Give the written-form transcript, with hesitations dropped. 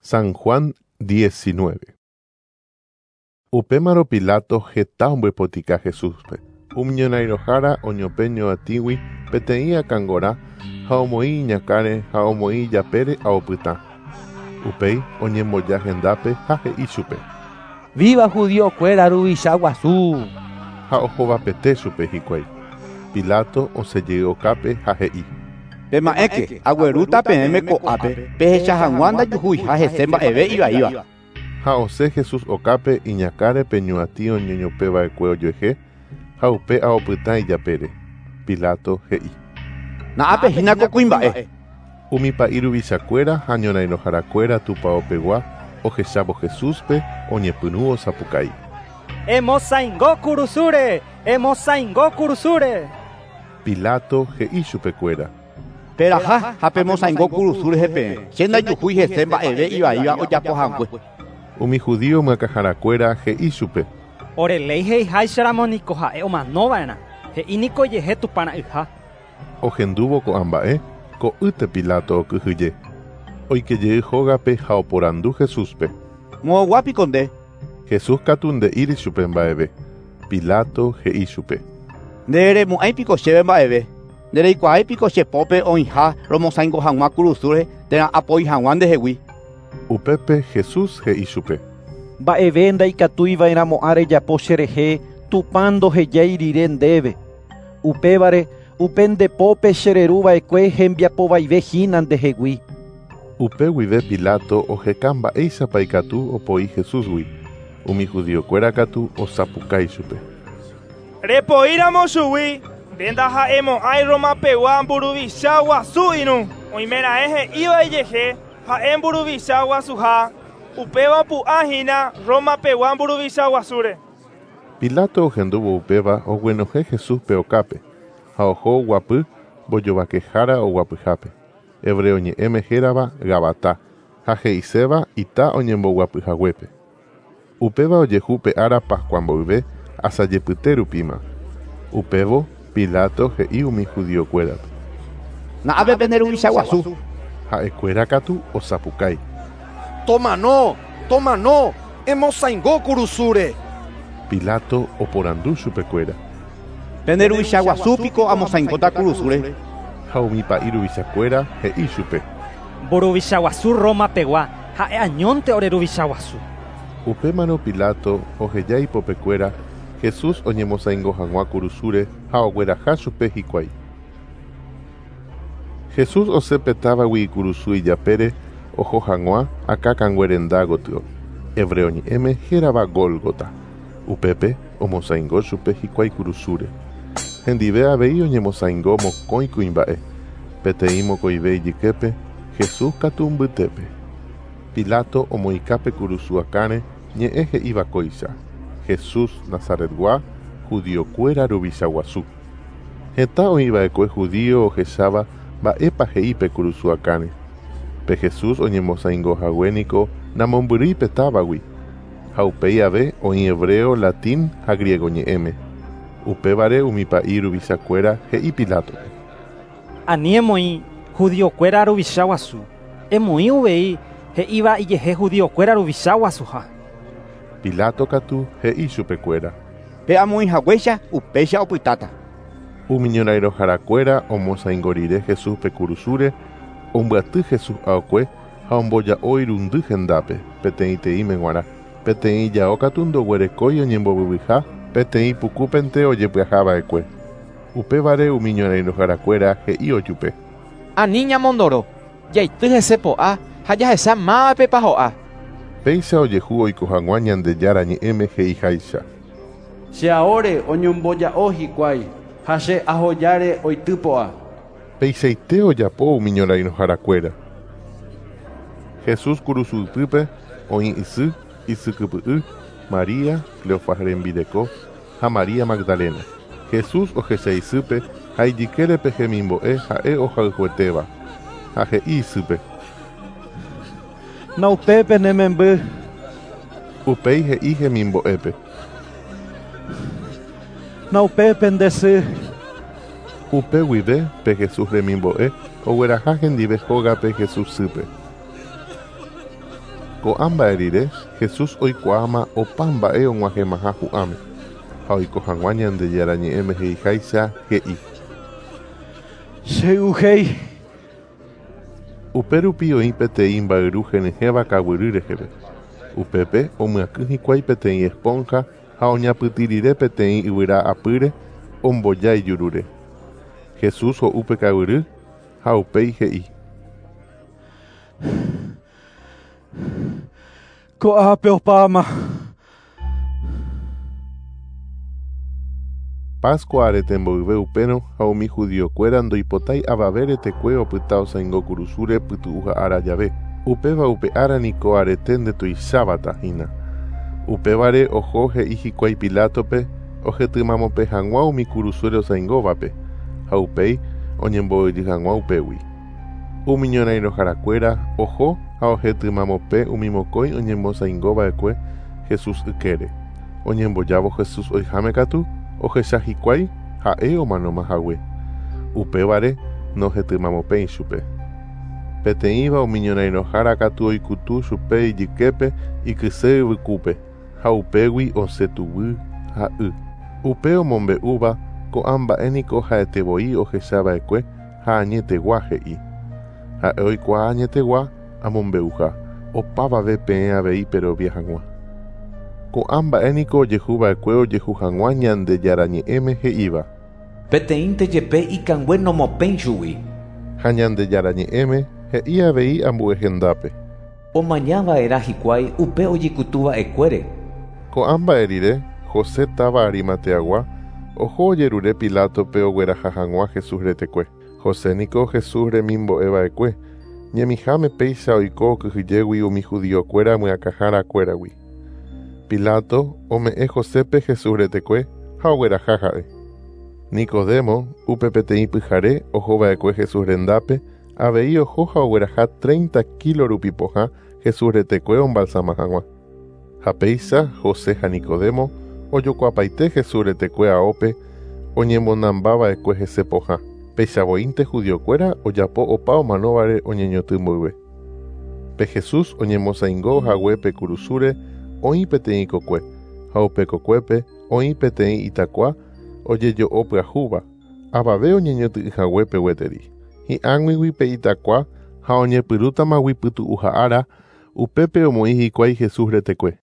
San Juan 19. Upémarõ Pilato heta ombyepotika Jesúspe. Umi ñorairõhára oñopẽ ñoatĩgui peteĩ akãngora ha omoĩ iñakãre ha omoĩ ijapére ao pytã. Upéi oñemboja hendápe ha he'i chupe. Viva judíokuéra ruvicha guasu! Ha ohovapete chupe hikuái. Pilato osẽ jey okápe ha he'i. Pema'ẽke, aguerúta peẽme ko'ápe pehecha hag̃ua ndajuhuiha hese mba'eve ivaíva. Ha osẽ Jesús okápe iñakãre pe ñuatĩ oñeñopẽ va'ekue ojuehe ha upe ao pytã ijapére. Pilato he'i. Na'ápe hína ko kuimba'e. Umi pa'i ruvichakuéra ha ñorairõharakuéra tupao pegua ohechávo Jesúspe oñepyrũ osapukái. Emosãingo kurusúre! Emosãingo kurusúre! Pilato he'i chupekuéra. Peraha ha pemosãingo kurusu rehe peẽ, che ndajuhúi hese mba'eve ivaíva ojapo hague. Umi judío myakãharakuéra he'i chupe. Ore léi he'iháicharamo niko ha'e omanova'erã, he'i niko ijehe Tupã ra'yha. Ohendúvo ko'ã mba'e, ko'ýte Pilato okyhyje. Oike jey hógape ha oporandu Jesúspe. Moõgua piko nde? Jesús katu nde'íri chupe mba'eve. Pilato he'i chupe. Nderemo'ãi piko chéve mba'eve? Ndereikuaái piko che pópe oĩha romosãingo hag̃ua kurusúre térã apoi hag̃ua ndehegui? Upépe Jesús he'i chupe. Mba'eve ndaikatuiva'erãmo'ã rejapo cherehe Tupã ndohejái rire ndéve. Upévare, upe nde pópe chereruva'ekue hembiapovaive hína ndehegui. Upe guive Pilato oheka mba'éichapa ikatu opoi Jesúsgui. Umi judíokuéra katu osapukái chupe. Repoíramo chugui, nde ndaha'emo'ãi Roma pegua mburuvicha guasu irũ. Oimeraẽ he'íva ijehe ha'e mburuvicha guasuha, upéva opu'ã hína Roma pegua mburuvicha guasúre. Pilato ohendúvo upéva oguenohẽ Jesúspe okápe, ha oho oguapy mbojovakehára oguapyhápe, hebreo ñe'ẽme hérava Gabatá, ha he'iséva ita oñemboguapyhaguépe. Upéva ojehu pe ára Pascua mboyve asajepyte rupíma. Upévo, Pilato he'i umi judíokuérape. Na'ápe pende ruvicha guasu. Ha'ekuéra katu osapukái. Tomano! Tomano! Emosãingo kurusúre! Pilato oporandu chupekuéra. Pende ruvicha guasu piko amosãingóta kurusúre? Ha umi pa'i ruvichakuéra he'i chupe. Mburuvicha guasu Roma pegua, ha'e añónte ore ruvicha guasu. Upémarõ Pilato oheja ipopekuéra Jesús oñemosãingo hag̃ua kurusúre ha ogueraha chupe hikuái. Jesús osẽ pe távagui ikurusu ijapére oho hag̃ua Akã Kangue Renda gotyo, hebreo ñe'ẽme hérava Gólgota. Upépe omosãingo chupe hikuái kurusúre. Hendive avei oñemosãingo mokõi kuimba'e, peteĩ mokõive ijyképe, Jesús katu mbytépe. Pilato omoĩka pe kurusu akãre ñe'ẽ he'íva kóicha, Jesús Nazaretgua, judíokuéra ruvicha guasu. Heta oĩ va'ekue judío ohecháva mba'épa he'i pe kurusu akãre. Pe Jesús oñemosãingo hague niko namombyrýi pe távagui, ha upéi ave oĩ hebreo, latín ha griego ñe'ẽme. Upévare umi pa'i ruvichakuéra he'i Pilátope. Ani emoĩ judíokuéra ruvicha guasu, emoĩ uvei he'íva ijehe judíokuéra ruvicha guasuha. Pilato katu he'i chupekuéra. Pe amoĩ haguéicha, upéicha opytáta. Umi ñorairõharakuéra omosãingo rire Jesúspe kurusúre, ombyaty Jesús aokue ha omboja'o irundy hendápe, peteĩteĩme g̃uarã. Peteĩ ijao katu ndoguerekói oñembovyvyha, peteĩ pukúpente ojepyaha va'ekue. Upévare umi ñorairõharakuéra he'i ojupe. Ani ñamondoro, jaity hese po'a ha jahecha mávapepa ho'a. Péicha ojehu oiko hag̃ua Ñandejára Ñe'ẽme he'iháicha. Che aóre oñomboja'o hikuái ha che ahojáre oity po'a. Peichaite ojapo umi ñorairõharakuéra. Jesús kurusu ypýpe oĩ isy, isy kypy'y, María, Cleofas rembireko, ha María Magdalena. Jesús ohecha isýpe ha ijykére pe hemimbo'e ha'e ohayhuetéva, ha he'i isýpe. Naupépe ne memby. Upéi he'i hemimbo'épe. Naupépe nde sy. Upe guive pe Jesús remimbo'e ogueraha hendive hógape Jesús sýpe. Ko'ã mba'e rire, Jesús oikuaáma opa mba'e og̃uahẽmaha hu'ãme, ha oiko hag̃ua Ñandejára ñe'ẽme he'iháicha he'i: Chey'uhéi. Upérupi oĩ peteĩ mba'yru henyhẽva kaguyry reheve. Upépe omyakỹ hikuái peteĩ esponja ha oñapytĩ rire peteĩ yvyra apýre omboja ijurúre. Jesús ho'u pe kaguyry ha upéi he'i: Ko'ápe opáma. Pascua arete mboyve upérõ ha umi judíokuéra ndoipotái avave retekue opyta osãingo kurusúre pytu'uha ára jave. Upéva upe ára niko arete ndetuicháva hína. Upévare oho he'i hikuái Pilátope ohetymamope hag̃ua umi kurusúre osãingóvape ha upéi oñemboy'y hag̃ua upégui. Umi ñorairõharakuéra oho ha ohetymamope umi mokõi oñemosãingova'ekue Jesús ykére. Oñembojávo Jesús oiháme katu ohecha hikuái ha'e omanómahague. Upévare nohetymamopéi chupe. Peteĩva umi ñorairõhára katu oikutu chupe ijyképe ikyse yvykúpe ha upégui osẽ tuguy ha y. Upe omombe'úva ko'ã mba'e niko ha'etevoi ohechava'ekue ha añetegua he'i. Ha'e oikuaa añetegua amombe'uha opavave peẽ avei perovia hag̃ua. Ko'ã mba'e niko ojehuva'ekue ojehu hag̃ua Ñandejára ñe'ẽme he'íva. Peteĩnte jepe ikangue nomopẽi chugui. Ha Ñandejára ñe'ẽme he'i avei ambue hendápe. Omañava'erã hikuái upe ojekutuva'ekuére. Ko'ã mba'e rire, José táva Arimateagua oho ojerure Pilátope ogueraha hag̃ua Jesús retekue. José niko Jesús remimbo'eva'ekue, ñemiháme péicha oiko okyhyjégui umi judíokuéra myakãharakuéragui. Pilato ome'ẽ Josépe Jesús retekue ha ogueraha ha'e. Nicodemo upe peteĩ pyhare ohova'ekue Jesús rendápe avei oho ha ogueraha 30 kilo rupi pohã Jesús retekue ombalsama hag̃ua. Ha péicha José ha Nicodemo ojokuapaite Jesús retekue aópe oñemonambava'ekue hese pohã. Péichavoínte judíokuéra ojapo opa omanóvare oñeñotỹ mboyve. Pe Jesús oñemosãingo hague pe kurusúre oĩ peteĩ kokue, ha upe kokuépe oĩ peteĩ itakua ojejo'o pyahúva, avave oñeñotỹhaguépe gueteri. Hi'ag̃uigui pe itakua ha oñepyrũtamagui pytu'uha ára, upépe omoĩ hikuái Jesús retekue.